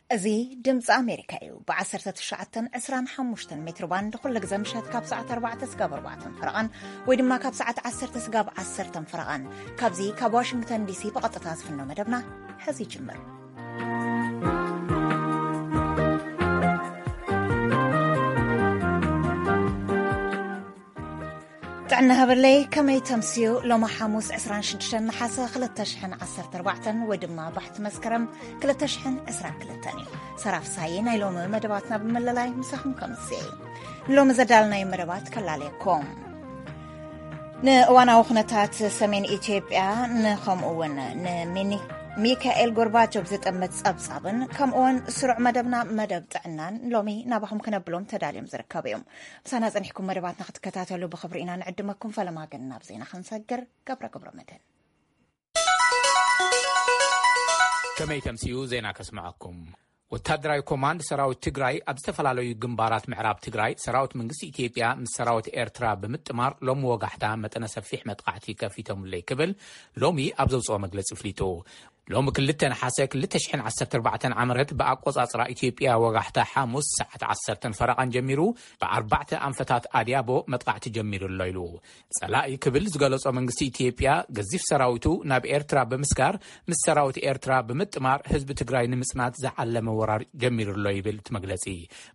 እዚ ድምፂ ኣሜሪካ እዩ። ብ19፣ 25 ሜትሮ ባንድ ኩሉ ግዜ ምሸት ካብ ሰዓት ኣርባዕተ ስጋብ ኣርባዕተ ፈረቓን ወይ ድማ ካብ ሰዓት ዓሰርተ ስጋብ ዓሰርተ ፈረቓን ካብዚ ካብ ዋሽንግተን ዲሲ ብቐጥታ ዝፍኖ መደብና ሕዚ ይጅምር። ጥዕና ሃበለይ፣ ከመይ ተምስዩ? ሎሚ ሓሙስ ዕስራን ሽዱሽተን ነሓሰ ክልተ ሽሕን ዓሰርተ ኣርባዕተን ወይ ድማ ባሕቲ መስከረም ክልተ ሽሕን ዕስራን ክልተን እዩ። ሰራፍ ሳይ ናይ ሎሚ መደባትና ብምልላይ ምሳኹም ከምስየ። ንሎሚ ዘዳልናዮ መደባት ከላለየኩም። ንእዋናዊ ኩነታት ሰሜን ኢትዮጵያ ንኸምኡ እውን ንሚኒ-፣ ሚካኤል ጎርባቾቭ ዝጥምት ጸብጻብን ከምኡ እውን ስሩዕ መደብና መደብ ጥዕናን ሎሚ ናባኹም ክነብሎም ተዳልዮም ዝርከቡ እዮም። ምሳና ጸኒሕኩም መደባትና ክትከታተሉ ብኽብሪ ኢና ንዕድመኩም። ፈለማ ግን ናብ ዜና ክንሰግር ገብረ ገብረ መድህን። ከመይ ተምስዩ ዜና ከስምዐኩም። ወታደራዊ ኮማንድ ሰራዊት ትግራይ ኣብ ዝተፈላለዩ ግንባራት ምዕራብ ትግራይ ሰራዊት መንግስቲ ኢትዮጵያ ምስ ሰራዊት ኤርትራ ብምጥማር ሎም ወጋሕታ መጠነ ሰፊሕ መጥቃዕቲ ከፊቶምለይ ክብል ሎሚ ኣብ ዘውፅኦ መግለፂ ፍሊጡ። ሎም ክልተ ነሓሰ ክልተ ሽሕን ዓሰርተ ኣርባዕተን ዓመረት ብኣቆጻጽራ ኢትዮጵያ ወጋሕታ ሓሙስ ሰዓት ዓሰርተን ፈረቓን ጀሚሩ ብኣርባዕተ ኣንፈታት ኣድያቦ መጥቃዕቲ ጀሚሩ ኣሎ ኢሉ። ጸላኢ ክብል ዝገለጾ መንግስቲ ኢትዮጵያ ገዚፍ ሰራዊቱ ናብ ኤርትራ ብምስጋር ምስ ሰራዊት ኤርትራ ብምጥማር ህዝቢ ትግራይ ንምጽናት ዝዓለመ ወራር ጀሚሩ ኣሎ ይብል እቲ መግለጺ።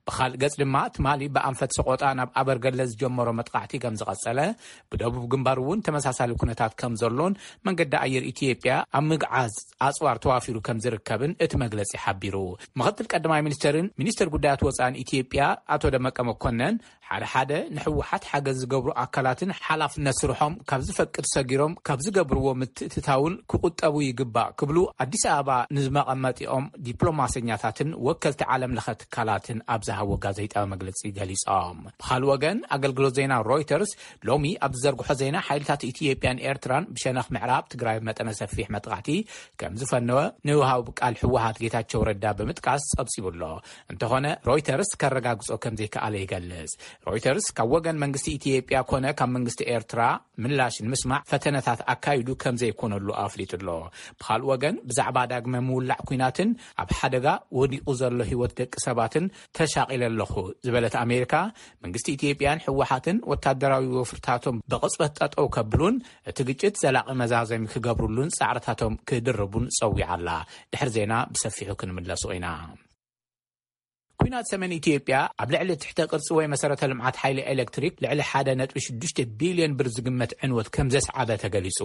ብኻልእ ገጽ ድማ ትማሊ ብኣንፈት ሰቆጣ ናብ ኣበርገለ ዝጀመሮ መጥቃዕቲ ከም ዝቐጸለ፣ ብደቡብ ግንባር እውን ተመሳሳሊ ኩነታት ከም ዘሎን መንገዲ ኣየር ኢትዮጵያ ኣብ ምግዓዝ ኣጽዋር ተዋፊሩ ከም ዝርከብን እቲ መግለጺ ሓቢሩ። ምኽትል ቀዳማይ ሚኒስተርን ሚኒስተር ጉዳያት ወጻእን ኢትዮጵያ ኣቶ ደመቀ መኮነን ሓደ ሓደ ንህወሓት ሓገዝ ዝገብሩ ኣካላትን ሓላፍነት ስርሖም ካብ ዝፈቅድ ሰጊሮም ካብ ዝገብርዎ ምትእትታውን ክቁጠቡ ይግባእ ክብሉ ኣዲስ ኣበባ ንዝመቐመጢኦም ዲፕሎማሰኛታትን ወከልቲ ዓለም ለኸ ትካላትን ኣብ ዝሃቦ ጋዜጣዊ መግለጺ ገሊጾም። ብኻልእ ወገን ኣገልግሎት ዜና ሮይተርስ ሎሚ ኣብ ዝዘርግሖ ዜና ሓይልታት ኢትዮጵያን ኤርትራን ብሸነኽ ምዕራብ ትግራይ መጠነ ሰፊሕ መጥቃዕቲ ከም ዝፈነወ ንውሃብ ቃል ህወሓት ጌታቸው ረዳ ብምጥቃስ ጸብጺቡ ኣሎ። እንተኾነ ሮይተርስ ከረጋግጾ ከም ዘይከኣለ ይገልጽ። ሮይተርስ ካብ ወገን መንግስቲ ኢትዮጵያ ኮነ ካብ መንግስቲ ኤርትራ ምላሽ ንምስማዕ ፈተነታት ኣካይዱ ከም ዘይኮነሉ ኣፍሊጡ ኣሎ። ብኻልእ ወገን ብዛዕባ ዳግመ ምውላዕ ኲናትን ኣብ ሓደጋ ወዲቑ ዘሎ ህይወት ደቂ ሰባትን ተሻቒለ ኣለኹ ዝበለት ኣሜሪካ፣ መንግስቲ ኢትዮጵያን ህወሓትን ወታደራዊ ወፍርታቶም ብቕጽበት ጠጠው ከብሉን እቲ ግጭት ዘላቒ መዛዘሚ ክገብሩሉን ጻዕርታቶም ክድርቡን ጸዊዓ ኣላ። ድሕሪ ዜና ብሰፊሑ ክንምለሱ ኢና። ኲናት ሰሜን ኢትዮጵያ ኣብ ልዕሊ ትሕተ ቅርጺ ወይ መሰረተ ልምዓት ሓይሊ ኤሌክትሪክ ልዕሊ ሓደ ነጥቢ ሽዱሽተ ቢልዮን ብር ዝግመት ዕንወት ከም ዘስዓበ ተገሊጹ።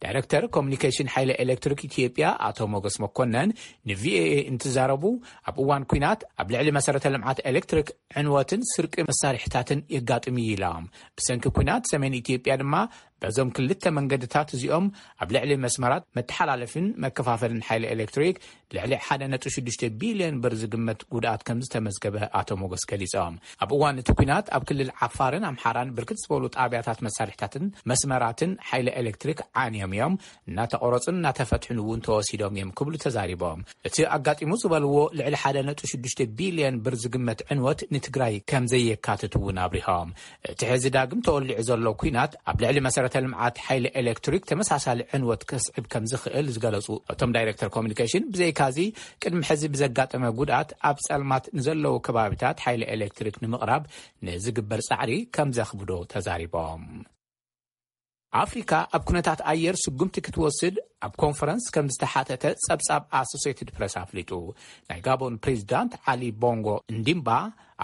ዳይሬክተር ኮሙኒኬሽን ሓይሊ ኤሌክትሪክ ኢትዮጵያ ኣቶ ሞገስ መኮነን ንቪኦኤ እንትዛረቡ፣ ኣብ እዋን ኲናት ኣብ ልዕሊ መሰረተ ልምዓት ኤሌክትሪክ ዕንወትን ስርቂ መሳርሒታትን የጋጥም እዩ ኢሎም። ብሰንኪ ኲናት ሰሜን ኢትዮጵያ ድማ በዞም ክልተ መንገድታት እዚኦም ኣብ ልዕሊ መስመራት መተሓላለፊን መከፋፈልን ሓይሊ ኤሌክትሪክ ልዕሊ ሓደ ነጥቢ ሽዱሽተ ቢልዮን ብር ዝግመት ጉድኣት ከም ዝተመዝገበ ኣቶ ሞገስ ገሊጾም። ኣብ እዋን እቲ ኲናት ኣብ ክልል ዓፋርን ኣምሓራን ብርክት ዝበሉ ጣብያታት መሳርሒታትን መስመራትን ሓይሊ ኤሌክትሪክ ዓንዮም እዮም፣ እናተቆረጹን እናተፈትሑን እውን ተወሲዶም እዮም ክብሉ ተዛሪቦም። እቲ ኣጋጢሙ ዝበልዎ ልዕሊ ሓደ ነጥቢ ሽዱሽተ ቢልዮን ብር ዝግመት ዕንወት ንትግራይ ከም ዘየካትት እውን ኣብሪሆም። እቲ ሕዚ ዳግም ተወሊዑ ዘሎ ኲናት ኣብ ልዕሊ መሰረተ ልምዓት ሓይሊ ኤሌክትሪክ ተመሳሳሊ ዕንወት ከስዕብ ከም ዝኽእል ዝገለጹ እቶም ዳይሬክተር ኮሙኒኬሽን፣ ብዘይካዚ ቅድሚ ሕዚ ብዘጋጠመ ጉድኣት ኣብ ጸልማት ንዘለዉ ከባቢታት ሓይሊ ኤሌክትሪክ ንምቕራብ ንዝግበር ጻዕሪ ከም ዘኽብዶ ተዛሪቦም። ኣፍሪካ ኣብ ኩነታት ኣየር ስጉምቲ ክትወስድ ኣብ ኮንፈረንስ ከም ዝተሓተተ ጸብጻብ ኣሶሴትድ ፕረስ ኣፍሊጡ። ናይ ጋቦን ፕሬዚዳንት ዓሊ ቦንጎ እንዲምባ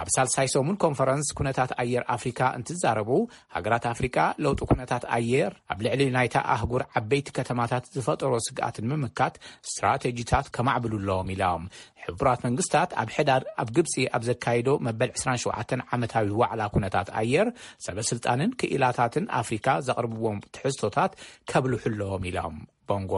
ኣብ ሳልሳይ ሰሙን ኮንፈረንስ ኩነታት ኣየር ኣፍሪካ እንትዛረቡ፣ ሃገራት ኣፍሪካ ለውጢ ኩነታት ኣየር ኣብ ልዕሊ ናይታ ኣህጉር ዓበይቲ ከተማታት ዝፈጠሮ ስግኣት ንምምካት ስትራቴጂታት ከማዕብሉ ኣለዎም ኢሎም። ሕቡራት መንግስታት ኣብ ሕዳር ኣብ ግብጺ ኣብ ዘካየዶ መበል ዕስራን ሸውዓተን ዓመታዊ ዋዕላ ኩነታት ኣየር፣ ሰበ ስልጣንን ክኢላታትን ኣፍሪካ ዘቕርብዎም ትሕዝቶታት ከብልሑ ኣለዎም ኢሎም። ቦንጎ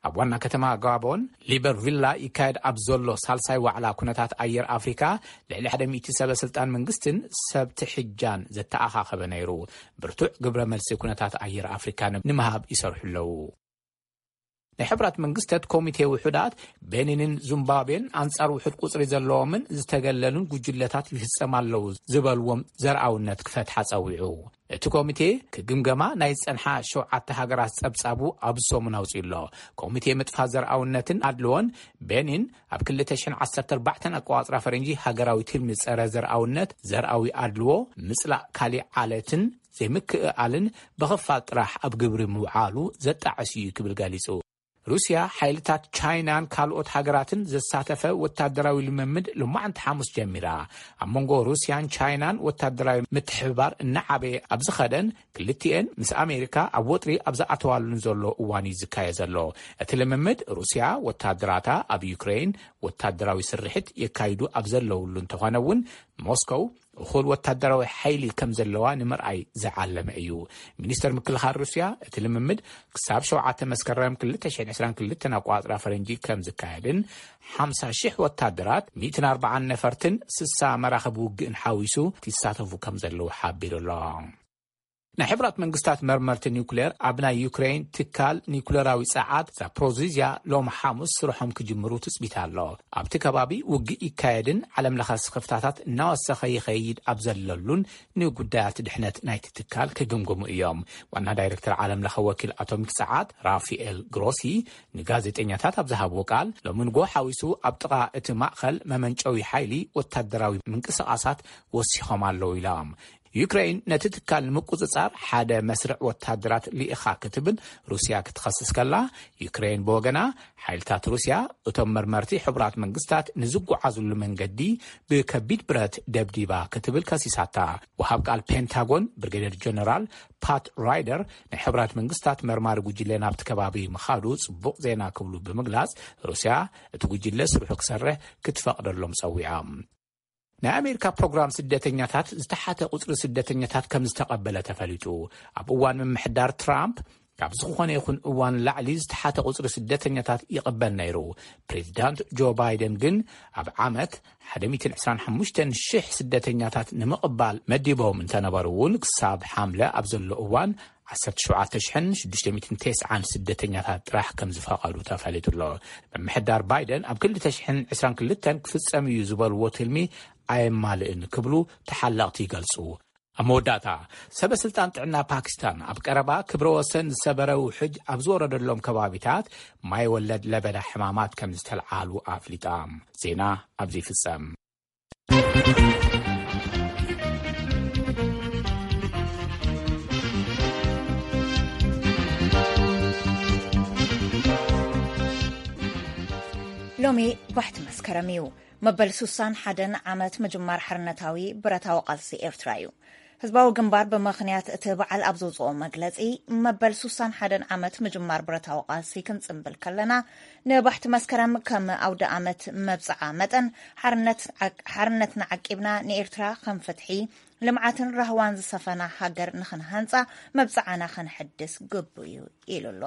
ኣብ ዋና ከተማ ጋቦን ሊበርቪላ ይካየድ ኣብ ዘሎ ሳልሳይ ዋዕላ ኩነታት ኣየር ኣፍሪካ፣ ልዕሊ ሓደ ሚእቲ ሰበ ስልጣን መንግስትን ሰብ ትሕጃን ዘተኣኻኸበ ነይሩ። ብርቱዕ ግብረ መልሲ ኩነታት ኣየር ኣፍሪካ ንምሃብ ይሰርሑ ኣለዉ። ናይ ሕብራት መንግስታት ኮሚቴ ውሑዳት፣ ቤኒንን ዙምባቤን ኣንጻር ውሑድ ቁጽሪ ዘለዎምን ዝተገለሉን ጉጅለታት ይፍጸም ኣለዉ ዝበልዎም ዘርኣውነት ክፈትሓ ጸዊዑ። እቲ ኮሚቴ ክግምገማ ናይ ዝጸንሓ ሸውዓተ ሃገራት ጸብጻቡ ኣብ ሰሙን ኣውጺኡ ኣሎ። ኮሚቴ ምጥፋ ዘርኣውነትን ኣድልዎን ቤኒን ኣብ ክልተ ሽሕን ዓሰርተ ኣርባዕተን ኣቆጻጽራ ፈረንጂ ሃገራዊ ትልሚ ጸረ ዘርኣውነት፣ ዘርኣዊ ኣድልዎ፣ ምጽላእ ካሊእ ዓለትን ዘይምክእኣልን ብኽፋል ጥራሕ ኣብ ግብሪ ምውዓሉ ዘጣዕስ እዩ ክብል ገሊጹ። ሩስያ ሓይልታት ቻይናን ካልኦት ሃገራትን ዘሳተፈ ወታደራዊ ልምምድ ሎማዕንቲ ሓሙስ ጀሚራ። ኣብ መንጎ ሩስያን ቻይናን ወታደራዊ ምትሕብባር እናዓበየ ኣብ ዝኸደን፣ ክልቲኤን ምስ ኣሜሪካ ኣብ ወጥሪ ኣብ ዝኣተዋሉን ዘሎ እዋን እዩ ዝካየ ዘሎ። እቲ ልምምድ ሩስያ ወታደራታ ኣብ ዩክሬን ወታደራዊ ስርሒት የካይዱ ኣብ ዘለውሉ እንተኾነ እውን፣ ሞስኮው እኹል ወታደራዊ ሓይሊ ከም ዘለዋ ንምርኣይ ዝዓለመ እዩ። ሚኒስተር ምክልኻል ሩስያ፣ እቲ ልምምድ ክሳብ ሸውዓተ መስከረም ክልተ ሽሕን ዕስራን ክልተን ኣቋጽራ ፈረንጂ ከም ዝካየድን፣ ሓምሳ ሽሕ ወታደራት፣ ሚእትን ኣርባዓን ነፈርትን ስሳ መራኽብ ውግእን ሓዊሱ ይሳተፉ ከም ዘለዉ ሓቢሩ ኣሎ። ናይ ሕብራት መንግስታት መርመርቲ ኒውክሌር ኣብ ናይ ዩክሬን ትካል ኒውክሌራዊ ጸዓት ዛፕሮዚዝያ ሎም ሓሙስ ስርሖም ክጅምሩ ትጽቢት ኣሎ። ኣብቲ ከባቢ ውግእ ይካየድን ዓለም ለኸ ስኽፍታታት እናወሰኸ ይኸይድ ኣብ ዘለሉን ንጉዳያት ድሕነት ናይቲ ትካል ክግምግሙ እዮም። ዋና ዳይሬክተር ዓለም ለኸ ወኪል ኣቶሚክ ጸዓት ራፊኤል ግሮሲ ንጋዜጠኛታት ኣብ ዝሃብዎ ቃል፣ ሎሚ ንጎ ሓዊሱ ኣብ ጥቓ እቲ ማእኸል መመንጨዊ ሓይሊ ወታደራዊ ምንቅስቓሳት ወሲኾም ኣለዉ ኢሎም። ዩክሬን ነቲ ትካል ንምቁጽጻር ሓደ መስርዕ ወታደራት ልኢኻ ክትብል ሩስያ ክትኸስስ ከላ፣ ዩክሬን ብወገና፣ ሓይልታት ሩስያ እቶም መርመርቲ ሕቡራት መንግስታት ንዝጓዓዙሉ መንገዲ ብከቢድ ብረት ደብዲባ ክትብል ከሲሳታ። ወሃብ ቃል ፔንታጎን ብሪጌደር ጀነራል ፓት ራይደር፣ ናይ ሕቡራት መንግስታት መርማሪ ጉጅለ ናብቲ ከባቢ ምኻዱ ጽቡቕ ዜና ክብሉ ብምግላጽ፣ ሩስያ እቲ ጉጅለ ስርሑ ክሰርሕ ክትፈቕደሎም ጸዊዖም። ናይ ኣሜሪካ ፕሮግራም ስደተኛታት ዝተሓተ ቁጽሪ ስደተኛታት ከም ዝተቐበለ ተፈሊጡ። ኣብ እዋን ምምሕዳር ትራምፕ፣ ካብ ዝኾነ ይኹን እዋን ላዕሊ ዝተሓተ ቁጽሪ ስደተኛታት ይቕበል ነይሩ። ፕሬዚዳንት ጆ ባይደን ግን ኣብ ዓመት ሓደ ሚእትን ዕስራን ሓሙሽተን ሽሕ ስደተኛታት ንምቕባል መዲቦም እንተነበሩ እውን፣ ክሳብ ሓምለ ኣብ ዘሎ እዋን ዓሰርተ ሸውዓተ ሽሕን ሽዱሽተ ሚእትን ተስዓን ስደተኛታት ጥራሕ ከም ዝፈቐዱ ተፈሊጡ ኣሎ። ምምሕዳር ባይደን ኣብ ክልተ ሽሕን ዕስራን ክልተን ክፍጸም እዩ ዝበልዎ ትልሚ ኣየማልእን ክብሉ ተሓለቕቲ ይገልጹ። ኣብ መወዳእታ፣ ሰበ ስልጣን ጥዕና ፓኪስታን ኣብ ቀረባ ክብረ ወሰን ዝሰበረ ውሕጅ ኣብ ዝወረደሎም ከባቢታት ማይ ወለድ ለበዳ ሕማማት ከም ዝተልዓሉ ኣፍሊጣ። ዜና ኣብዚ ይፍጸም። ሎሚ ባሕቲ መስከረም እዩ። መበል ሱሳን ሓደን ዓመት ምጅማር ሓርነታዊ ብረታዊ ቃልሲ ኤርትራ እዩ። ህዝባዊ ግንባር ብምኽንያት እቲ በዓል ኣብ ዘውፅኦ መግለፂ፣ መበል ሱሳን ሓደን ዓመት ምጅማር ብረታዊ ቃልሲ ክንፅምብል ከለና፣ ንባሕቲ መስከረም ከም ኣውደ ኣመት መብፅዓ መጠን፣ ሓርነት ዓቅ-፣ ሓርነትና ዓቂብና ንኤርትራ ከም ፍትሒ፣ ልምዓትን ራህዋን ዝሰፈና ሃገር ንኽንሃንፃ መብፅዓና ከነሐድስ ግቡ እዩ ኢሉ ኣሎ።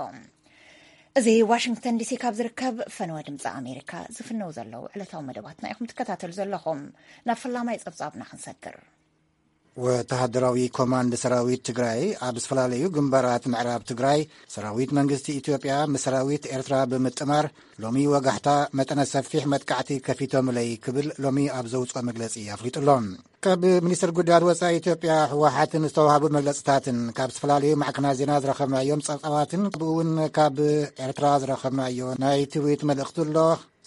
እዚ ዋሽንግተን ዲሲ ካብ ዝርከብ ፈነወ ድምፂ ኣሜሪካ ዝፍነው ዘለዉ ዕለታዊ መደባትና ኢኹም ትከታተሉ ዘለኹም። ናብ ፈላማይ ጸብጻብና ክንሰግር። ወተሃደራዊ ኮማንድ ሰራዊት ትግራይ ኣብ ዝተፈላለዩ ግንባራት ምዕራብ ትግራይ ሰራዊት መንግስቲ ኢትዮጵያ ምስ ሰራዊት ኤርትራ ብምጥማር ሎሚ ወጋሕታ መጠነ ሰፊሕ መጥቃዕቲ ከፊቶምለይ ክብል ሎሚ ኣብ ዘውፅኦ መግለፂ ኣፍሊጡ ኣሎ። ካብ ሚኒስትር ጉዳያት ወፃኢ ኢትዮጵያ ህወሓትን ዝተዋሃቡ መግለፅታትን ካብ ዝተፈላለዩ ማዕከናት ዜና ዝረኸብናዮም ፀብፃባትን ከምኡ እውን ካብ ኤርትራ ዝረኸብናዮ ናይ ትዊት መልእኽቲ ኣሎ።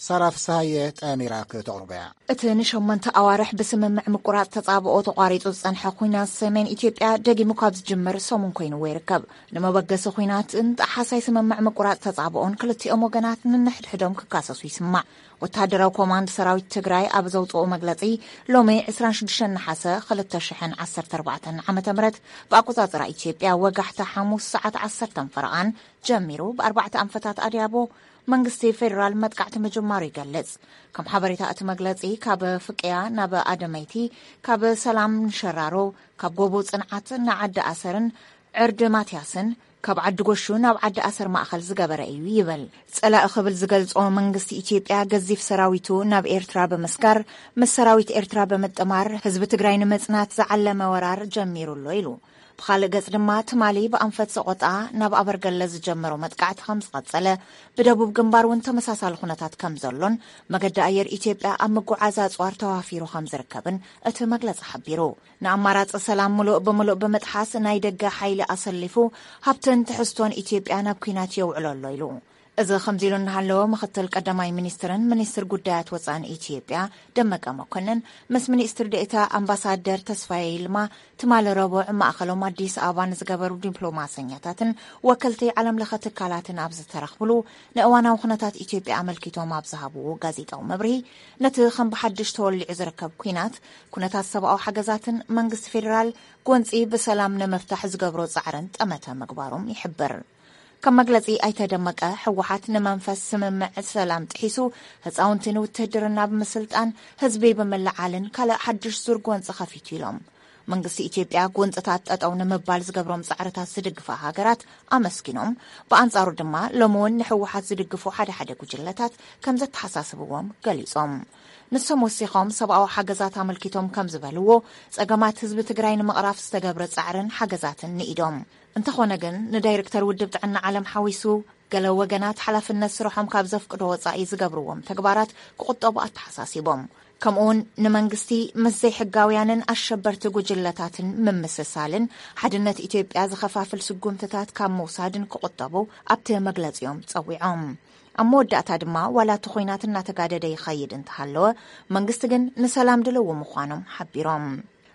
ሳራ ፍስሃየ ጠሚራ ክተቕርቦ እያ። እቲ ንሸሞንተ ኣዋርሕ ብስምምዕ ምቁራፅ ተፃብኦ ተቋሪፁ ዝፀንሐ ኲናት ሰሜን ኢትዮጵያ ደጊሙ ካብ ዝጅምር ሰሙን ኮይንዎ ይርከብ። ንመበገሲ ኲናትን ጣሓሳይ ስምምዕ ምቁራፅ ተፃብኦን ክልቲኦም ወገናት ንንሕድሕዶም ክካሰሱ ይስማዕ። ወተሃደራዊ ኮማንድ ሰራዊት ትግራይ ኣብ ዘውፅኦ መግለፂ፣ ሎሚ ዕስራን ሽዱሽተን ነሓሰ ክልተ ሽሕን ዓሰርተ ኣርባዕተን ዓመተ ምህረት ብኣቆፃፅራ ኢትዮጵያ ወጋሕታ ሓሙስ ሰዓት ዓሰርተ ፈረቓን ጀሚሩ ብኣርባዕተ ኣንፈታት ኣድያቦ መንግስቲ ፌዴራል መጥቃዕቲ ምጅማሩ ይገልጽ። ከም ሓበሬታ እቲ መግለጺ፣ ካብ ፍቅያ ናብ ኣደመይቲ፣ ካብ ሰላም ንሸራሮ፣ ካብ ጎቦ ጽንዓት ንዓዲ ኣሰርን ዕርዲ ማትያስን፣ ካብ ዓዲ ጎሹ ናብ ዓዲ ኣሰር ማእኸል ዝገበረ እዩ ይብል። ጸላኢ ክብል ዝገልጾ መንግስቲ ኢትዮጵያ ገዚፍ ሰራዊቱ ናብ ኤርትራ ብምስጋር፣ ምስ ሰራዊት ኤርትራ ብምጥማር ህዝቢ ትግራይ ንምጽናት ዝዓለመ ወራር ጀሚሩ ኣሎ ኢሉ። ብኻልእ ገጽ ድማ ትማሊ ብኣንፈት ሰቖጣ ናብ ኣበርገለ ዝጀመረው መጥቃዕቲ ከም ዝቐጸለ፣ ብደቡብ ግንባር እውን ተመሳሳሊ ኩነታት ከም ዘሎን መገዲ ኣየር ኢትዮጵያ ኣብ ምጉዓዝ ኣጽዋር ተዋፊሩ ከም ዝርከብን እቲ መግለጺ ሓቢሩ። ንኣማራጺ ሰላም ምሉእ ብምሉእ ብምጥሓስ ናይ ደገ ሓይሊ ኣሰሊፉ ሃብትን ትሕዝቶን ኢትዮጵያ ናብ ኲናት የውዕሎ ኣሎ ኢሉ። እዚ ከምዚ ኢሉ እናሃለወ ምክትል ቀዳማይ ሚኒስትርን ሚኒስትር ጉዳያት ወፃእን ኢትዮጵያ ደመቀ መኮንን ምስ ሚኒስትር ዴኤታ ኣምባሳደር ተስፋዬ ይልማ ትማሊ ረቡዕ ማእኸሎም ኣዲስ ኣበባ ንዝገበሩ ዲፕሎማሰኛታትን ወከልቲ ዓለም ለኸ ትካላትን ኣብ ዝተረኽብሉ ንእዋናዊ ኩነታት ኢትዮጵያ ኣመልኪቶም ኣብ ዝሃብዎ ጋዜጣዊ መብርሂ ነቲ ከም ብሓድሽ ተወሊዑ ዝርከብ ኲናት ኩነታት ሰብኣዊ ሓገዛትን መንግስቲ ፌዴራል ጎንፂ ብሰላም ንምፍታሕ ዝገብሮ ፃዕርን ጠመተ ምግባሮም ይሕብር። ከም መግለጺ ኣይተ ደመቀ፣ ህወሓት ንመንፈስ ስምምዕ ሰላም ጥሒሱ ህፃውንቲ ንውትህድርና ብምስልጣን ህዝቢ ብምልዓልን ካልእ ሓድሽ ዙር ጎንፂ ከፊቱ ኢሎም። መንግስቲ ኢትዮጵያ ጎንፅታት ጠጠው ንምባል ዝገብሮም ፃዕርታት ዝድግፋ ሃገራት ኣመስጊኖም፣ ብኣንፃሩ ድማ ሎሚ እውን ንህወሓት ዝድግፉ ሓደ ሓደ ጉጅለታት ከም ዘተሓሳስብዎም ገሊፆም። ንሶም ወሲኾም ሰብኣዊ ሓገዛት ኣመልኪቶም ከም ዝበልዎ፣ ፀገማት ህዝቢ ትግራይ ንምቕራፍ ዝተገብረ ፃዕርን ሓገዛትን ንኢዶም። እንተኾነ ግን ንዳይሬክተር ውድብ ጥዕና ዓለም ሓዊሱ ገለ ወገናት ሓላፍነት ስርሖም ካብ ዘፍቅዶ ወፃኢ ዝገብርዎም ተግባራት ክቑጠቡ ኣተሓሳሲቦም። ከምኡውን ንመንግስቲ ምስ ዘይሕጋውያንን ኣሸበርቲ ጉጅለታትን ምምስሳልን ሓድነት ኢትዮጵያ ዝኸፋፍል ስጉምትታት ካብ ምውሳድን ክቑጠቡ ኣብቲ መግለፂኦም ፀዊዖም። ኣብ መወዳእታ ድማ ዋላ እቲ ኹናት እናተጋደደ ይኸይድ እንተሃለወ መንግስቲ ግን ንሰላም ድልው ምዃኖም ሓቢሮም።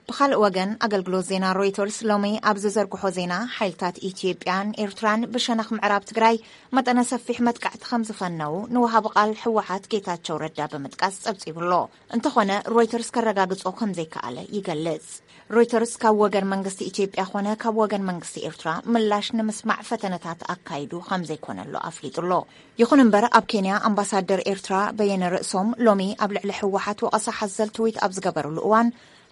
ብኻልእ ወገን ኣገልግሎት ዜና ሮይተርስ ሎሚ ኣብ ዝዘርግሖ ዜና ሓይልታት ኢትዮጵያን ኤርትራን ብሸነኽ ምዕራብ ትግራይ መጠነ ሰፊሕ መጥቃዕቲ ከም ዝፈነዉ ንወሃቢ ቃል ህወሓት ጌታቸው ረዳ ብምጥቃስ ጸብጺቡ ኣሎ። እንተኾነ ሮይተርስ ከረጋግጾ ከም ዘይከኣለ ይገልጽ። ሮይተርስ ካብ ወገን መንግስቲ ኢትዮጵያ ኾነ ካብ ወገን መንግስቲ ኤርትራ ምላሽ ንምስማዕ ፈተነታት ኣካይዱ ከም ዘይኮነሉ ኣፍሊጡ ኣሎ። ይኹን እምበር ኣብ ኬንያ ኣምባሳደር ኤርትራ በየነ ርእሶም ሎሚ ኣብ ልዕሊ ህወሓት ወቐሳ ሓዘል ትዊት ኣብ ዝገበሩሉ እዋን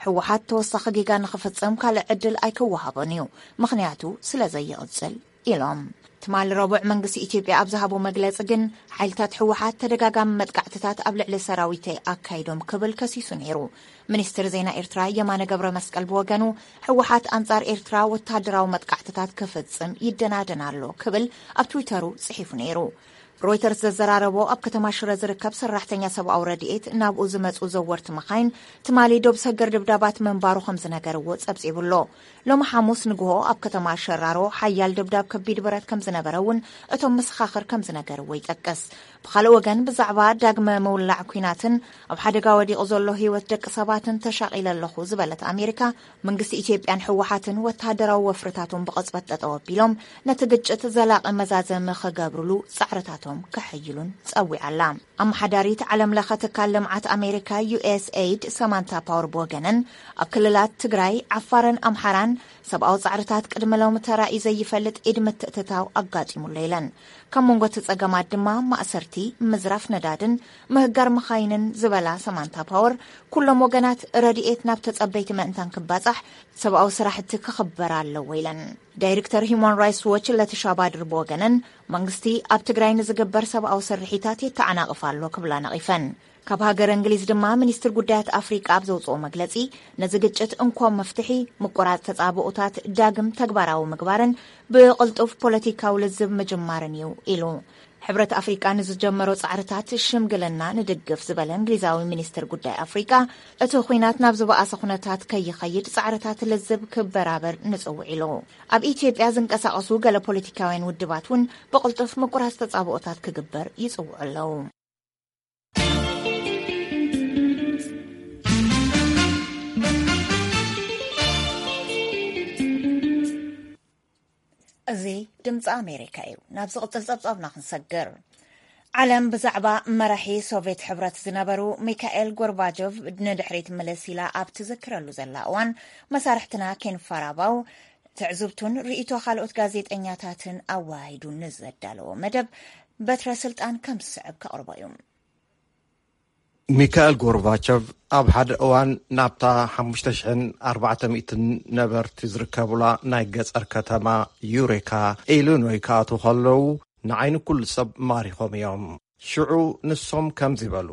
ህወሓት ተወሳኺ ጌጋ ንኽፍጽም ካልእ ዕድል ኣይክወሃቦን እዩ፣ ምኽንያቱ ስለ ዘይቕጽል ኢሎም። ትማሊ ረቡዕ መንግስቲ ኢትዮጵያ ኣብ ዝሃቦ መግለጺ ግን ሓይልታት ህወሓት ተደጋጋሚ መጥቃዕትታት ኣብ ልዕሊ ሰራዊተይ ኣካይዶም ክብል ከሲሱ ነይሩ። ሚኒስትር ዜና ኤርትራ የማነ ገብረ መስቀል ብወገኑ ህወሓት ኣንጻር ኤርትራ ወተሃደራዊ መጥቃዕትታት ክፍጽም ይደናደን ኣሎ ክብል ኣብ ትዊተሩ ጽሒፉ ነይሩ። ሮይተርስ ዘዘራረቦ ኣብ ከተማ ሽረ ዝርከብ ሰራሕተኛ ሰብኣዊ ረድኤት ናብኡ ዝመጹ ዘወርቲ መኻይን ትማሊ ዶብ ሰገር ድብዳባት ምንባሩ ከም ዝነገርዎ ጸብጺቡ ኣሎ። ሎሚ ሓሙስ ንግሆ ኣብ ከተማ ሸራሮ ሓያል ድብዳብ ከቢድ ብረት ከም ዝነበረ እውን እቶም መሰኻኽር ከም ዝነገርዎ ይጠቅስ። ብኻልእ ወገን ብዛዕባ ዳግመ ምውላዕ ኲናትን ኣብ ሓደጋ ወዲቑ ዘሎ ህይወት ደቂ ሰባትን ተሻቒለ ኣለኹ ዝበለት ኣሜሪካ መንግስቲ ኢትዮጵያን ህወሓትን ወተሃደራዊ ወፍርታቶም ብቕጽበት ጠጠው ኣቢሎም ነቲ ግጭት ዘላቒ መዛዘሚ ክገብርሉ ጻዕርታቶም ከሐይሉን ጸዊዓ ኣላ። ኣመሓዳሪት ዓለም ለኸ ትካል ልምዓት ኣሜሪካ ዩኤስኤይድ ሰማንታ ፓወር ብወገነን ኣብ ክልላት ትግራይ፣ ዓፋርን ኣምሓራን ሰብኣዊ ጻዕርታት ቅድሚ ሎሚ ተራእዩ ዘይፈልጥ ኢድ ምትእትታው ኣጋጢሙሎ ኢለን። ካብ መንጎ እቲ ጸገማት ድማ ማእሰርቲ፣ ምዝራፍ ነዳድን ምህጋር መኻይንን ዝበላ ሰማንታ ፓወር፣ ኩሎም ወገናት ረድኤት ናብ ተጸበይቲ ምእንታን ክባጻሕ ሰብኣዊ ስራሕቲ ክኽበር ኣለዎ ኢለን። ዳይሬክተር ሂዩማን ራይትስ ዎች ለቲሻ ባድር ብወገነን መንግስቲ ኣብ ትግራይ ንዝግበር ሰብኣዊ ስርሒታት የተዓናቕፍ ኣሎ ክብላ ነቒፈን። ካብ ሃገር እንግሊዝ ድማ ሚኒስትር ጉዳያት ኣፍሪቃ ኣብ ዘውፅኦ መግለፂ ነዚ ግጭት እንኮ መፍትሒ ምቁራፅ ተፃብኦታት ዳግም ተግባራዊ ምግባርን ብቕልጡፍ ፖለቲካዊ ልዝብ ምጅማርን እዩ ኢሉ። ሕብረት ኣፍሪቃ ንዝጀመሮ ጻዕርታት ሽምግልና ንድግፍ ዝበለ እንግሊዛዊ ሚኒስትር ጉዳይ ኣፍሪቃ እቲ ኹናት ናብ ዝበኣሰ ኩነታት ከይኸይድ ጻዕርታት ልዝብ ክበራበር ንጽውዕ ኢሉ። ኣብ ኢትዮጵያ ዝንቀሳቐሱ ገለ ፖለቲካውያን ውድባት እውን ብቕልጡፍ ምቁራፅ ተጻብኦታት ክግበር ይጽውዑ ኣለዉ። እዚ ድምፂ ኣሜሪካ እዩ። ናብ ዝቕፅል ፀብፃብና ክንሰግር። ዓለም ብዛዕባ መራሒ ሶቪየት ሕብረት ዝነበሩ ሚካኤል ጎርባጆቭ ንድሕሪት ምልስ ኢላ ኣብ ትዝክረሉ ዘላ እዋን መሳርሕትና ኬን ፋራባው ትዕዝብቱን ርእይቶ ካልኦት ጋዜጠኛታትን ኣወሃሂዱ ንዘዳለዎ መደብ በትረ ስልጣን ከም ዝስዕብ ከቕርቦ እዩ። ሚካኤል ጎርባቸቭ ኣብ ሓደ እዋን ናብታ ሓሙሽተ ሽሕን ኣርባዕተ ሚእትን ነበርቲ ዝርከቡላ ናይ ገጸር ከተማ ዩሬካ ኢሊኖይ ክኣትዉ ከለዉ ንዓይኒ ኩሉ ሰብ ማሪኾም እዮም። ሽዑ ንሶም ከምዚ በሉ።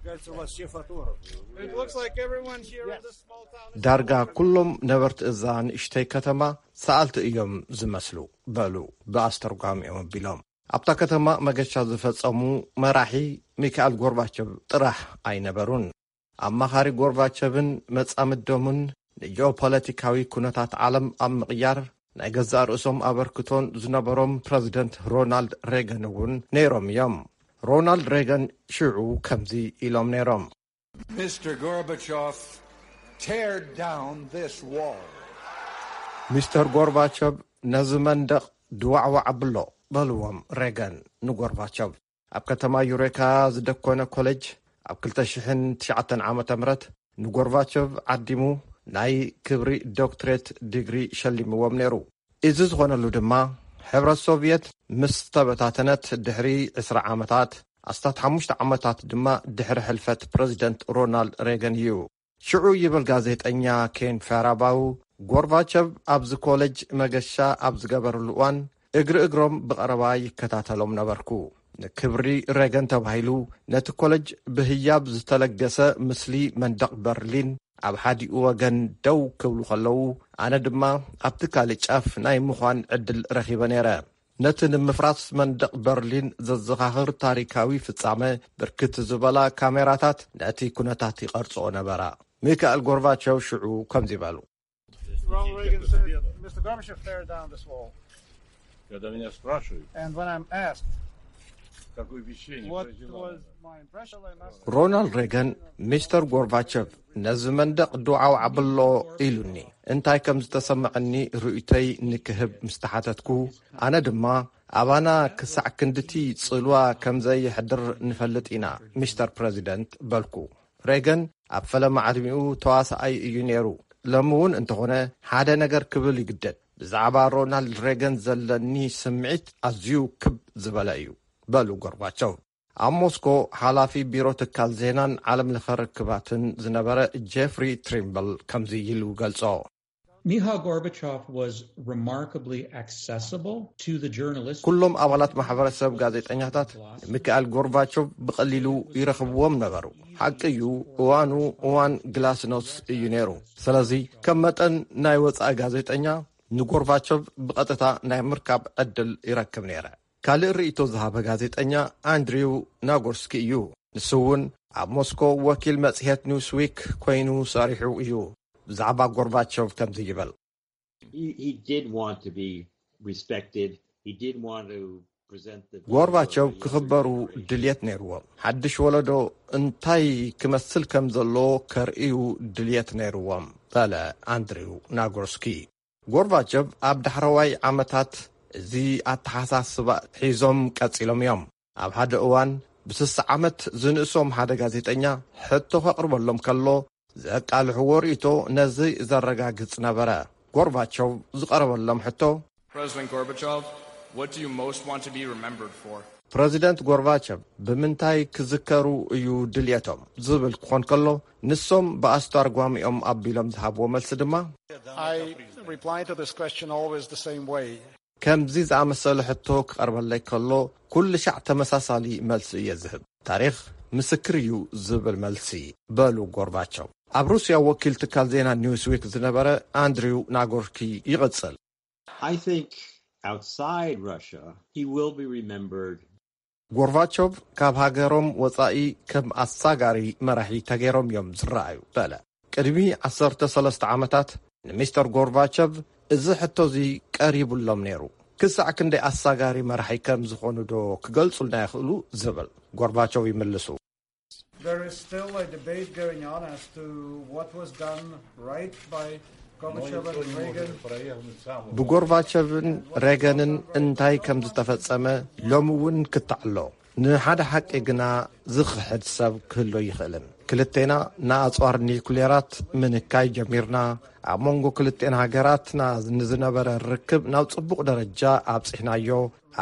It looks like everyone here in this small town is ዳርጋ ኩሎም ነበርቲ እዛ ንእሽተይ ከተማ ሰኣልቲ እዮም ዝመስሉ፣ በሉ ብኣስተርጓሚኦም ኣቢሎም። ኣብታ ከተማ መገሻ ዝፈጸሙ መራሒ ሚካኤል ጎርባቸቭ ጥራሕ ኣይነበሩን። ኣማኻሪ ጎርባቸቭን መጻምዶምን ንጂኦፖለቲካዊ ኩነታት ዓለም ኣብ ምቕያር ናይ ገዛእ ርእሶም ኣበርክቶን ዝነበሮም ፕረዚደንት ሮናልድ ሬገን እውን ነይሮም እዮም። ሮናልድ ሬገን ሽዑ ከምዚ ኢሎም ነይሮም። Mister Gorbachev, tear down this wall. ሚስተር ጎርባቸቭ፣ ነዚ መንደቕ ድዋዕዋዕ ኣብሎ፣ በልዎም ሬገን ንጎርባቸቭ። ኣብ ከተማ ዩሬካ ዝደኮነ ኮሌጅ ኣብ ክልተ ሽሕን ትሽዓተን ዓመተ ምህረት ንጎርባቸቭ ዓዲሙ ናይ ክብሪ ዶክትሬት ዲግሪ ሸሊምዎም ነይሩ። እዚ ዝኾነሉ ድማ ሕብረት ሶቭየት ምስ ተበታተነት ድሕሪ ዕስራ ዓመታት፣ ኣስታት ሓሙሽተ ዓመታት ድማ ድሕሪ ሕልፈት ፕረዚደንት ሮናልድ ሬገን እዩ። ሽዑ ይብል ጋዜጠኛ ኬን ፋራባው፣ ጎርባቸቭ ኣብዚ ኮሌጅ መገሻ ኣብ ዝገበርሉ እዋን እግሪ እግሮም ብቐረባ ይከታተሎም ነበርኩ። ንክብሪ ሬገን ተባሂሉ ነቲ ኮሌጅ ብህያብ ዝተለገሰ ምስሊ መንደቕ በርሊን ኣብ ሓዲኡ ወገን ደው ክብሉ ከለዉ፣ ኣነ ድማ ኣብቲ ካልእ ጫፍ ናይ ምዃን ዕድል ረኺበ ነይረ። ነቲ ንምፍራስ መንደቕ በርሊን ዘዘኻኽር ታሪካዊ ፍጻመ ብርክት ዝበላ ካሜራታት ነቲ ኩነታት ይቐርጽኦ ነበራ። ሚካኤል ጎርባቸቭ ሽዑ ከምዚ በሉ። Ronald Reagan said, Mister Gorbachev, tear down this wall. Когда меня спрашивают, And when I'm asked какое впечаtlenie what произвела was она. My impression, I must ሮናልድ ሬገን፣ ሚስተር ጎርባቸቭ ነዚ መንደቕ ድዋዓው ኣብሎ ኢሉኒ። እንታይ ከም ዝተሰምዐኒ ርእይቶይ ንክህብ ምስ ተሓተትኩ፣ ኣነ ድማ ኣባና ክሳዕ ክንድቲ ጽልዋ ከም ዘየሕድር ንፈልጥ ኢና፣ ሚስተር ፕረዚደንት፣ በልኩ። ሬገን ኣብ ፈለማ ዕድሚኡ ተዋሳኣይ እዩ ነይሩ። ሎሚ እውን እንተኾነ ሓደ ነገር ክብል ይግደድ። ብዛዕባ ሮናልድ ሬገን ዘለኒ ስምዒት ኣዝዩ ክብ ዝበለ እዩ፣ በሉ ጎርባቸው። ኣብ ሞስኮ ሓላፊ ቢሮ ትካል ዜናን ዓለም ለኸ ርክባትን ዝነበረ ጄፍሪ ትሪምብል ከምዚ ኢሉ ገልጾ። Mikhail Gorbachev was remarkably accessible to the journalists. ኩሎም ኣባላት ማሕበረሰብ ጋዜጠኛታት ንሚካኤል ጎርባቾቭ ብቐሊሉ ይረኽብዎም ነበሩ። ሓቂ እዩ፣ እዋኑ እዋን ግላስኖስ እዩ ነይሩ። ስለዚ ከም መጠን ናይ ወጻኢ ጋዜጠኛ ንጎርባቾቭ ብቐጥታ ናይ ምርካብ ዕድል ይረክብ ነይረ። ካልእ ርእይቶ ዝሃበ ጋዜጠኛ ኣንድሪው ናጎርስኪ እዩ። ንሱ እውን ኣብ ሞስኮ ወኪል መጽሔት ኒውስዊክ ኮይኑ ሰሪሑ እዩ። ብዛዕባ ጎርባቾቭ ከምዚ ይብል። He, he did want to be respected. He did want to present the ጎርባቸው ክኽበሩ ድልየት ነይርዎም። ሓድሽ ወለዶ እንታይ ክመስል ከም ዘለዎ ከርእዩ ድልየት ነይርዎም፣ በለ ኣንድሪው ናጎርስኪ። ጎርባቸቭ ኣብ ዳሕረዋይ ዓመታት እዚ ኣተሓሳስባ ሒዞም ቀጺሎም እዮም። ኣብ ሓደ እዋን ብስሳ ዓመት ዝንእሶም ሓደ ጋዜጠኛ ሕቶ ከቕርበሎም ከሎ ዘቃልሕዎ ርእይቶ ነዚ ዘረጋግጽ ነበረ። ጎርባቸው ዝቐረበሎም ሕቶ፣ President Gorbachev, what do you most want to be remembered for? ፕረዚደንት ጎርባቸቭ ብምንታይ ክዝከሩ እዩ ድልየቶም ዝብል ክኾን ከሎ፣ ንሶም ብኣስተርጓሚኦም ኣቢሎም ዝሃብዎ መልሲ ድማ፣ I reply to this question always the same way. ከምዚ ዝኣመሰለ ሕቶ ክቐርበለይ ከሎ ኩሉ ሻዕ ተመሳሳሊ መልሲ እየ ዝህብ። ታሪኽ ምስክር እዩ ዝብል መልሲ፣ በሉ ጎርባቸው። ኣብ ሩስያ ወኪል ትካል ዜና ኒውስዊክ ዝነበረ ኣንድሪው ናጎርኪ ይቕጽል። I think outside Russia, he will be remembered. ጎርባቾቭ ካብ ሃገሮም ወጻኢ ከም ኣሳጋሪ መራሒ ተገይሮም እዮም ዝረኣዩ፣ በለ። ቅድሚ ዓሰርተ ሰለስተ ዓመታት ንሚስተር ጎርባቸቭ እዚ ሕቶ እዚ ቀሪቡሎም ነይሩ። ክሳዕ ክንደይ ኣሳጋሪ መራሒ ከም ዝኾኑ ዶ ክገልጹልና ይኽእሉ? ዝብል ጎርባቾቭ ይምልሱ። There is still a debate going on as to what was done right by Gorbachev and Reagan. ብጎርባቸቭን ሬገንን እንታይ ከም ዝተፈጸመ ሎሚ እውን ክተዓሎ። ንሓደ ሓቂ ግና ዝኽሕድ ሰብ ክህሎ ይኽእልን። ክልቴና ንኣጽዋር ኒኩሌራት ምንካይ ጀሚርና። ኣብ መንጎ ክልቴን ሃገራትና ንዝነበረ ርክብ ናብ ጽቡቕ ደረጃ ኣብጺሕናዮ።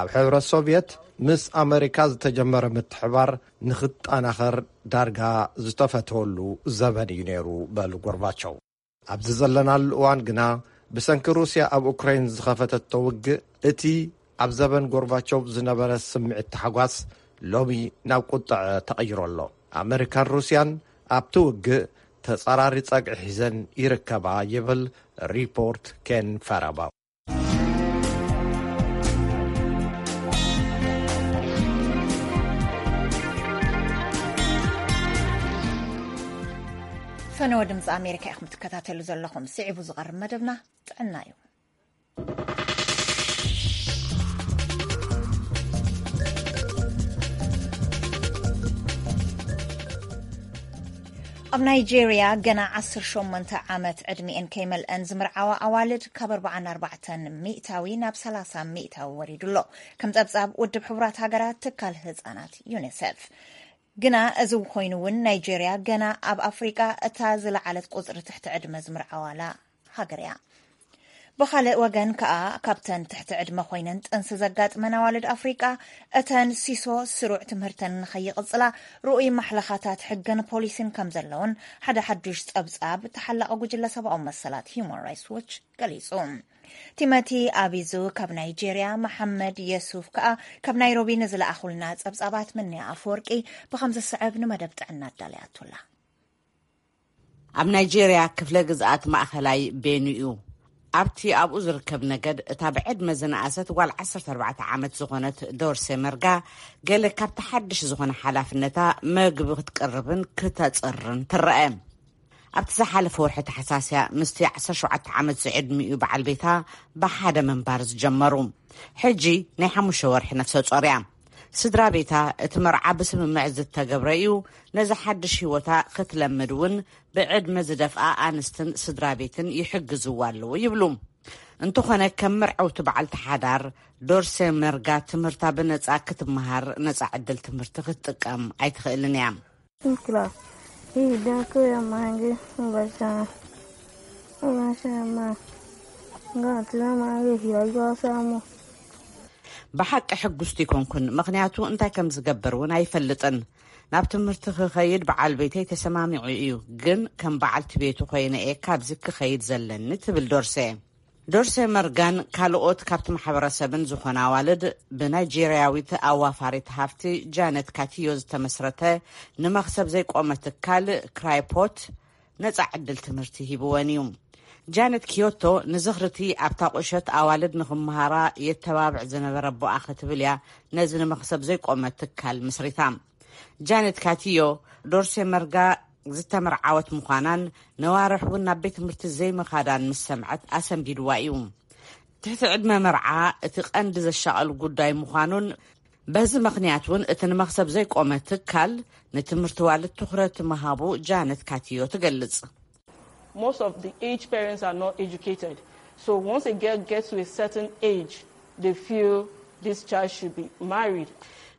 ኣብ ሕብረት ሶቭየት ምስ ኣመሪካ ዝተጀመረ ምትሕባር ንኽጠናኸር ዳርጋ ዝተፈተወሉ ዘበን እዩ ነይሩ፣ በሉ ጎርባቸው። ኣብዚ ዘለናሉ እዋን ግና ብሰንኪ ሩስያ ኣብ ኡክራይን ዝኸፈተቶ ውግእ፣ እቲ ኣብ ዘበን ጎርባቸው ዝነበረ ስምዒት ታሕጓስ ሎሚ ናብ ቁጥዐ ተቐይሩ ኣሎ። ኣመሪካን ሩስያን ኣብቲ ውግእ ተጻራሪ ጸግዒ ሒዘን ይርከባ ይብል ሪፖርት ኬን ፋራባ። ፈነወ ድምፂ ኣሜሪካ ኢኹም ትከታተሉ ዘለኹም። ስዒቡ ዝቐርብ መደብና ጥዕና እዩ። ኣብ ናይጄርያ ገና ዓሰርተ ሸሞንተ ዓመት ዕድሚኤን ከይመልአን ዝምርዓዋ ኣዋልድ ካብ ኣርባዓን ኣርባዕተን ሚእታዊ ናብ ሰላሳ ሚእታዊ ወሪዱ ኣሎ። ከም ጸብጻብ ውድብ ሕቡራት ሃገራት ትካል ህጻናት ዩኒሴፍ። ግና እዚ ኮይኑ እውን ናይጄርያ ገና ኣብ ኣፍሪቃ እታ ዝለዓለት ቁጽሪ ትሕቲ ዕድመ ዝምርዓዋላ ሃገር እያ። ብኻልእ ወገን ከኣ ካብተን ትሕቲ ዕድመ ኮይነን ጥንሲ ዘጋጥመን ኣዋልድ ኣፍሪቃ እተን ሲሶ ስሩዕ ትምህርተን ንኸይቕጽላ ርኡይ ማሕለኻታት ሕግን ፖሊሲን ከም ዘለውን ሓደ ሓዱሽ ጸብጻብ ተሓላቒ ጉጅለ ሰብኣዊ መሰላት ሂዩማን ራይትስ ዎች ገሊጹ። ቲሞቲ ኣቢዙ ካብ ናይጄርያ፣ መሓመድ የሱፍ ከኣ ካብ ናይሮቢ ንዝለኣኹልና ጸብጻባት ምንያ ኣፈወርቂ ብኸም ዝስዕብ ንመደብ ጥዕና ኣዳልያቱላ። ኣብ ናይጄርያ ክፍለ ግዝኣት ማእኸላይ ቤኑ እዩ። ኣብቲ ኣብኡ ዝርከብ ነገድ እታ ብዕድመ ዝነኣሰት ጓል ዓሰርተ ኣርባዕተ ዓመት ዝኾነት ዶርሴ መርጋ ገለ ካብቲ ሓድሽ ዝኾነ ሓላፍነታ መግቢ ክትቅርብን ክተጽርን ትረአ። ኣብቲ ዝሓለፈ ወርሒ ተሓሳስያ ምስቲ ዓሰርተ ሸውዓተ ዓመት ዝዕድሚኡ በዓል ቤታ ብሓደ ምንባር ዝጀመሩ። ሕጂ ናይ ሓሙሽተ ወርሒ ነፍሰ ጾር እያ። ስድራ ቤታ እቲ መርዓ ብስምምዕ ዝተገብረ እዩ። ነዚ ሓድሽ ህይወታ ክትለምድ እውን ብዕድመ ዝደፍኣ ኣንስትን ስድራ ቤትን ይሕግዝዋ ኣለዉ ይብሉ። እንተኾነ ከም መርዓውቲ በዓልቲ ሓዳር ዶርሴ መርጋ ትምህርታ ብነጻ ክትመሃር ነጻ ዕድል ትምህርቲ ክትጥቀም ኣይትኽእልን እያ። Class. Hii dako ya mange ubashama. Ubashama. Ngati na mange hiyo yo samu. ብሓቂ ሕጉስቲ ኣይኮንኩን፣ ምኽንያቱ እንታይ ከም ዝገብር እውን ኣይፈልጥን። ናብ ትምህርቲ ክኸይድ በዓል ቤተይ ተሰማሚዑ እዩ፣ ግን ከም በዓልቲ ቤቱ ኮይነ እየ ካብዚ ክኸይድ ዘለኒ ትብል ዶርሴ። ዶርሴ መርጋን ካልኦት ካብቲ ማሕበረሰብን ዝኾና ኣዋልድ ብናይጄርያዊት ኣዋፋሪት ሃፍቲ ጃነት ካቲዮ ዝተመስረተ ንመኽሰብ ዘይቆመ ትካል ክራይፖት ነጻ ዕድል ትምህርቲ ሂብወን እዩ። ጃነት ኪዮቶ ንዝኽርቲ ኣብታ ቁሸት ኣዋልድ ንኽመሃራ የተባብዕ ዝነበረ ኣቦኣ ክትብል እያ ነዚ ንመኽሰብ ዘይቆመ ትካል ምስሪታ። ጃነት ካቲዮ ዶርሴ መርጋ ዝተመርዓወት ምዃናን ነዋርሕ እውን ናብ ቤት ትምህርቲ ዘይምኻዳን ምስ ሰምዐት ኣሰንቢድዋ እዩ። ትሕቲ ዕድመ መርዓ እቲ ቀንዲ ዘሻቐል ጉዳይ ምዃኑን በዚ ምኽንያት እውን እቲ ንመኽሰብ ዘይቆመ ትካል ንትምህርቲ ዋልድ ትኹረት ምሃቡ ጃነት ካቲዮ ትገልጽ። Most of the aged parents are not educated. So once a girl gets to a certain age, they feel this child should be married.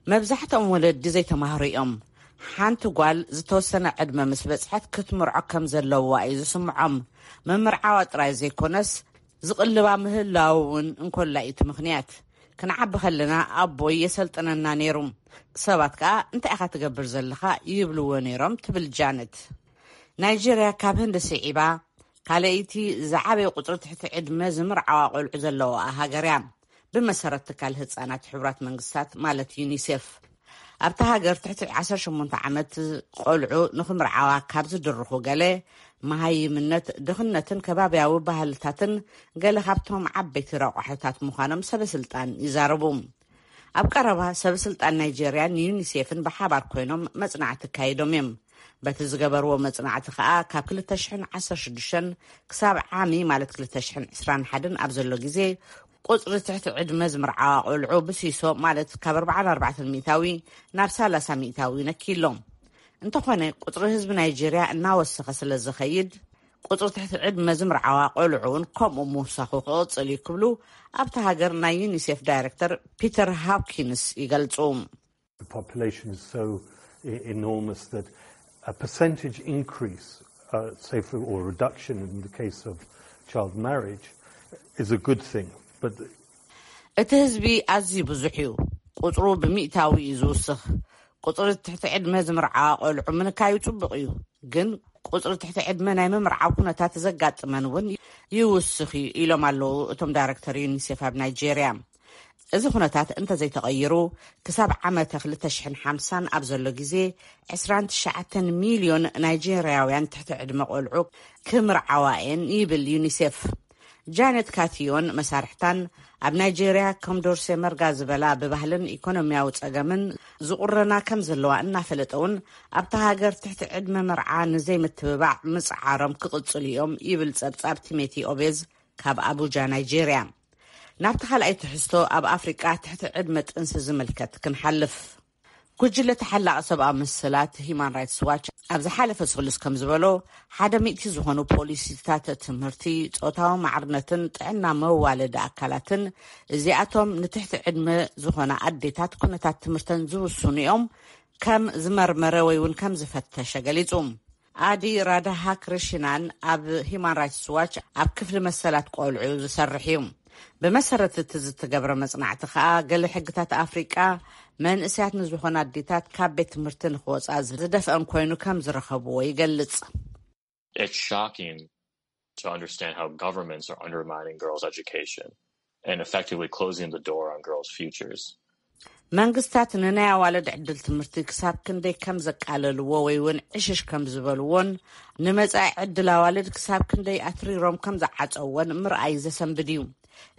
መብዛሕትኦም ወለዲ ዘይተማህሩ እዮም። ሓንቲ ጓል ዝተወሰነ ዕድመ ምስ በጽሐት ክትምርዖ ከም ዘለዋ እዩ ዝስምዖም። ምምርዓዋ ጥራይ ዘይኮነስ ዝቕልባ ምህላው እውን እንኮላ እዩ እቲ ምኽንያት። ክንዓቢ ከለና ኣቦይ የሰልጥነና ነይሩ። ሰባት ከኣ እንታይ ኢኻ ትገብር ዘለኻ ይብልዎ ነይሮም ትብል ጃነት። ናይጄርያ ካብ ህንዲ ስዒባ ካልኣይቲ ዝዓበየ ቁጽሪ ትሕቲ ዕድመ ዝምርዓዋ ቆልዑ ዘለዋ ሃገር እያ። ብመሰረት ትካል ህጻናት ሕቡራት መንግስታት ማለት ዩኒሴፍ ኣብታ ሃገር ትሕቲ ዓሰርተ ሸሞንተ ዓመት ቆልዑ ንኽምርዓዋ ካብ ዝድርኹ ገለ መሃይምነት፣ ድኽነትን ከባብያዊ ባህልታትን ገለ ካብቶም ዓበይቲ ረቋሕታት ምዃኖም ሰበስልጣን ይዛረቡ። ኣብ ቀረባ ሰበስልጣን ናይጄርያን ዩኒሴፍን ብሓባር ኮይኖም መጽናዕቲ ኣካይዶም እዮም። በቲ ዝገበርዎ መጽናዕቲ ከኣ ካብ ክልተ ሽሕን ዓሰርተ ሽዱሽተን ክሳብ ዓሚ ማለት ክልተ ሽሕን ዕስራን ሓደን ኣብ ዘሎ ግዜ ቁጽሪ ትሕቲ ዕድመ ዝምርዓዋ ቆልዑ ብሲሶ ማለት ካብ ኣርባዓን ኣርባዕተን ሚእታዊ ናብ ሰላሳ ሚእታዊ ነኪሎም። እንተኾነ ቁጽሪ ህዝቢ ናይጄርያ እናወሰኸ ስለ ዝኸይድ ቁጽሪ ትሕቲ ዕድመ ዝምርዓዋ ቆልዑ እውን ከምኡ ምውሳኹ ክቕጽል እዩ ክብሉ ኣብቲ ሃገር ናይ ዩኒሴፍ ዳይሬክተር ፒተር ሃፕኪንስ ይገልጹ። The population is so e- enormous that a percentage increase, uh, say, for, or reduction in the case of child marriage, is a good thing. But እቲ ህዝቢ ኣዝዩ ብዙሕ እዩ። ቁጽሩ ብሚእታዊ እዩ ዝውስኽ። ቁጽሪ ትሕቲ ዕድመ ዝምርዓዋ ቆልዑ ምንካዩ ጽቡቕ እዩ፣ ግን ቁጽሪ ትሕቲ ዕድመ ናይ ምምርዓው ኩነታት ዘጋጥመን እውን ይውስኽ እዩ ኢሎም ኣለዉ እቶም ዳይሬክተር ዩኒሴፍ ኣብ ናይጄርያ። እዚ ኩነታት እንተዘይተቐይሩ፣ ክሳብ ዓመተ ክልተ ሽሕን ሓምሳን ኣብ ዘሎ ግዜ ዕስራን ትሽዓተን ሚልዮን ናይጄርያውያን ትሕቲ ዕድመ ቆልዑ ክምርዓዋ እየን ይብል ዩኒሴፍ። ጃነት ካቲዮን መሳርሕታን ኣብ ናይጄርያ ከም ዶርሴ መርጋ ዝበላ ብባህልን ኢኮኖሚያዊ ጸገምን ዝቑረና ከም ዘለዋ እናፈለጠ እውን፣ ኣብታ ሃገር ትሕቲ ዕድመ መርዓ ንዘይምትብባዕ ምጽዓሮም ክቕጽሉ እዮም ይብል ጸብጻብ ቲሜቲ ኦቤዝ ካብ ኣቡጃ ናይጄርያ። ናብቲ ካልኣይ ትሕዝቶ፣ ኣብ ኣፍሪቃ ትሕቲ ዕድመ ጥንሲ ዝምልከት ክንሓልፍ። ጉጅለ ተሓላቒ ሰብኣዊ መሰላት ሂማን ራይትስ ዋች ኣብ ዝሓለፈ ሰሉስ ከም ዝበሎ፣ ሓደ ሚእቲ ዝኾኑ ፖሊሲታት ትምህርቲ፣ ጾታዊ ማዕርነትን ጥዕና መዋለዲ ኣካላትን፣ እዚኣቶም ንትሕቲ ዕድመ ዝኾና ኣዴታት ኩነታት ትምህርተን ዝውስኑ እዮም፣ ከም ዝመርመረ ወይ እውን ከም ዝፈተሸ ገሊጹ። ኣዲ ራዳሃ ክሪሽናን ኣብ ሂማን ራይትስ ዋች ኣብ ክፍሊ መሰላት ቆልዑ ዝሰርሕ እዩ። ብመሰረት እቲ ዝተገብረ መጽናዕቲ ከኣ፣ ገለ ሕግታት ኣፍሪቃ መንእስያት ንዝኾና ኣዴታት ካብ ቤት ትምህርቲ ንክወጻ ዝደፍአን ኮይኑ ከም ዝረኸብዎ ይገልጽ። It's shocking to understand how governments are undermining girls' education and effectively closing the door on girls' futures. መንግስታት ንናይ ኣዋልድ ዕድል ትምህርቲ ክሳብ ክንደይ ከም ዘቃለልዎ ወይ እውን ዕሽሽ ከም ዝበልዎን፣ ንመጻኢ ዕድል ኣዋልድ ክሳብ ክንደይ ኣትሪሮም ከም ዝዓጸዎን ምርኣይ ዘሰንብድ እዩ።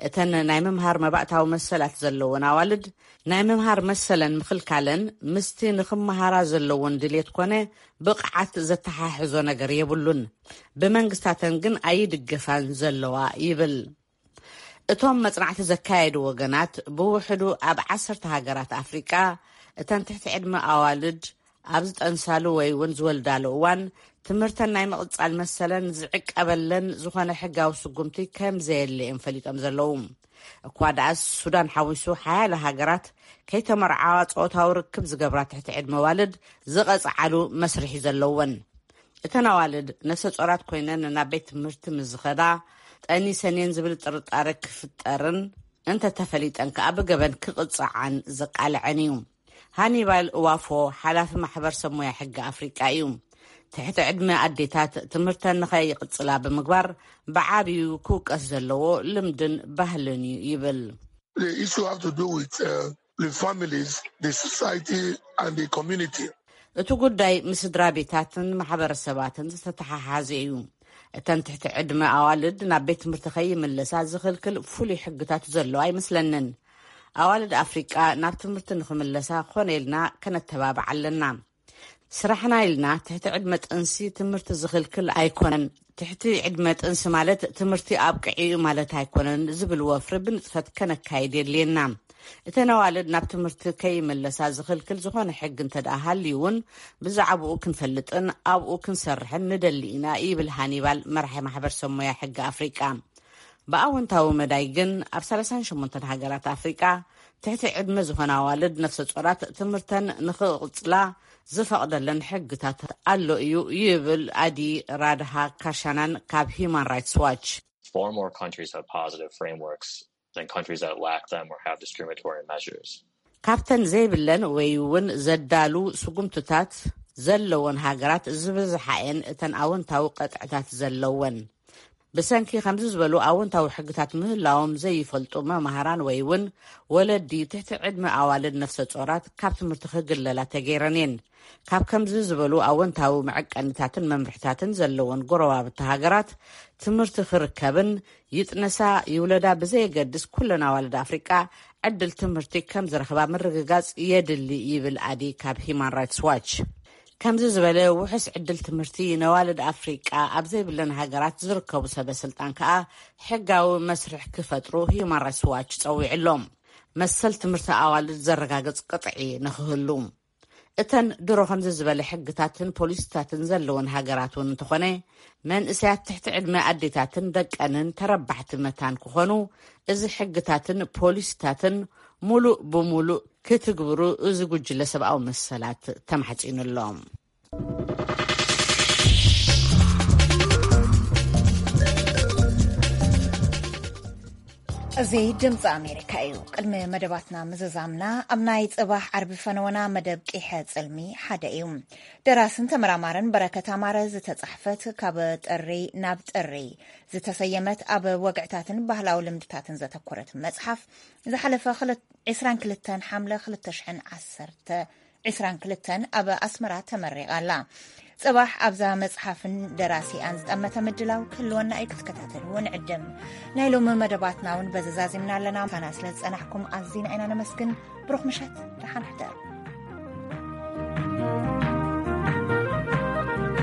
እተን ናይ ምምሃር መባእታዊ መሰላት ዘለወን ኣዋልድ፣ ናይ ምምሃር መሰለን ምኽልካለን ምስቲ ንኽመሃራ ዘለወን ድሌት ኮነ ብቕዓት ዘተሓሕዞ ነገር የብሉን። ብመንግስታተን ግን ኣይድገፋን ዘለዋ ይብል። እቶም መጽናዕቲ ዘካየዱ ወገናት፣ ብውሕዱ ኣብ ዓሰርተ ሃገራት ኣፍሪቃ፣ እተን ትሕቲ ዕድመ ኣዋልድ ኣብ ዝጠንሳሉ ወይ እውን ዝወልዳሉ እዋን፣ ትምህርተን ናይ ምቕጻል መሰለን ዝዕቀበለን ዝኾነ ሕጋዊ ስጉምቲ ከም ዘየለ እዮም ፈሊጦም ዘለዉ። እኳ ደኣስ፣ ሱዳን ሓዊሱ ሓያለ ሃገራት ከይተመርዓዋ ጾታዊ ርክብ ዝገብራ ትሕቲ ዕድመ ኣዋልድ ዝቐጽዓሉ መስርሕ እዩ ዘለወን። እተን ኣዋልድ ነፍሰ ጾራት ኮይነን ናብ ቤት ትምህርቲ ምስ ዝኸዳ፣ ጠኒሰን እየን ዝብል ጥርጣረ ክፍጠርን እንተተፈሊጠን ከኣ ብገበን ክቕጽዓን ዘቃልዐን እዩ። ሃኒባል እዋፎ፣ ሓላፊ ማሕበር ሰብ ሞያ ሕጊ ኣፍሪቃ እዩ። ትሕቲ ዕድመ ኣዴታት ትምህርተን ንኸይቕጽላ ብምግባር ብዓብዩ ክውቀስ ዘለዎ ልምድን ባህልን እዩ ይብል። The issue have to do with uh, the families, the society, and the community. እቲ ጉዳይ ምስ ስድራ ቤታትን ማሕበረሰባትን ዝተተሓሓዘ እዩ። እተን ትሕቲ ዕድመ ኣዋልድ ናብ ቤት ትምህርቲ ከይምለሳ ዝኽልክል ፍሉይ ሕግታት ዘሎ ኣይመስለንን። ኣዋልድ ኣፍሪቃ ናብ ትምህርቲ ንኽምለሳ ኮነ ኢልና ከነተባብዓ ኣለና። ስራሕና ኢልና ትሕቲ ዕድመ ጥንሲ ትምህርቲ ዝኽልክል ኣይኮነን። ትሕቲ ዕድመ ጥንሲ ማለት ትምህርቲ ኣብቅዒ እዩ ማለት ኣይኮነን ዝብል ወፍሪ ብንጥፈት ከነካይድ የድልየና። እተን ኣዋልድ ናብ ትምህርቲ ከይመለሳ ዝኽልክል ዝኾነ ሕጊ እንተ ደኣ ሃልዩ እውን ብዛዕባኡ ክንፈልጥን ኣብኡ ክንሰርሕን ንደሊ ኢና ይብል ሃኒባል፣ መራሒ ማሕበር ሰብ ሞያ ሕጊ ኣፍሪቃ። ብኣወንታዊ መዳይ ግን ኣብ ሰላሳን ሸሞንተን ሃገራት ኣፍሪቃ ትሕቲ ዕድመ ዝኾና ኣዋልድ ነፍሰ ጾራት ትምህርተን ንኽቕጽላ ዝፈቕደለን ሕግታት ኣሎ እዩ ይብል ኣዲ ራድሃ ካርሻናን ካብ ሂማን ራይትስ ዋች። Far more countries have positive frameworks than countries that lack them or have discriminatory measures. ካብተን ዘይብለን ወይ እውን ዘዳሉ ስጉምትታት ዘለወን ሃገራት ዝበዝሓ እየን እተን ኣወንታዊ ቀጥዕታት ዘለወን። ብሰንኪ ከምዚ ዝበሉ ኣወንታዊ ሕግታት ምህላዎም ዘይፈልጡ መማህራን ወይ እውን ወለዲ ትሕቲ ዕድመ ኣዋልድ ነፍሰ ጾራት ካብ ትምህርቲ ክግለላ ተገይረን እየን። ካብ ከምዚ ዝበሉ ኣወንታዊ መዐቀኒታትን መምርሕታትን ዘለወን ጎረባብቲ ሃገራት ትምህርቲ ክርከብን ይጥነሳ ይውለዳ ብዘየገድስ ኩለን ኣዋልድ ኣፍሪቃ ዕድል ትምህርቲ ከም ዝረኽባ ምርግጋጽ የድሊ ይብል ኣዲ ካብ ሂማን ራይትስ ዋች። ከምዚ ዝበለ ውሑስ ዕድል ትምህርቲ ነዋልድ ኣፍሪቃ ኣብ ዘይብለን ሃገራት ዝርከቡ ሰበ ስልጣን ከኣ ሕጋዊ መስርሕ ክፈጥሩ ሂማን ራይትስ ዋች ጸዊዑ ኣሎ። መሰል ትምህርቲ ኣዋልድ ዘረጋግጽ ቅጥዒ ንኽህሉ። እተን ድሮ ከምዚ ዝበለ ሕግታትን ፖሊሲታትን ዘለወን ሃገራት እውን እንተኾነ መንእሰያት ትሕቲ ዕድመ ኣዴታትን ደቀንን ተረባሕቲ መታን ክኾኑ እዚ ሕግታትን ፖሊሲታትን ሙሉእ ብሙሉእ ክትግብሩ እዚ ጉጅለ ሰብኣዊ መሰላት ተማሕጺኑ ኣሎ። እዚ ድምፂ ኣሜሪካ እዩ። ቅድሚ መደባትና ምዝዛምና፣ ኣብ ናይ ፅባሕ ዓርቢ ፈነወና መደብ ቂሐ ፅልሚ ሓደ እዩ። ደራስን ተመራማርን በረከት ኣማረ ዝተፃሕፈት ካብ ጥሪ ናብ ጥሪ ዝተሰየመት፣ ኣብ ወግዕታትን ባህላዊ ልምድታትን ዘተኮረት መፅሓፍ፣ ዝሓለፈ ክል- ዕስራን ክልተን ሓምለ ክልተ ሽሕን ዓሰርተ ዕስራን ክልተን ኣብ ኣስመራ ተመሪቓ ኣላ። ጽባሕ ኣብዛ መጽሓፍን ደራሲኣን ዝጠመተ ምድላው ክህልወና እዩ፣ ክትከታተልዎ ንዕድም። ናይ ሎሚ መደባትና እውን በዚ ዛዚምና ኣለና። ምሳና ስለ ዝጸናሕኩም ኣዚና ኢና ነመስግን። ብሩኽ ምሸት፣ ደሓን ሕደሩ።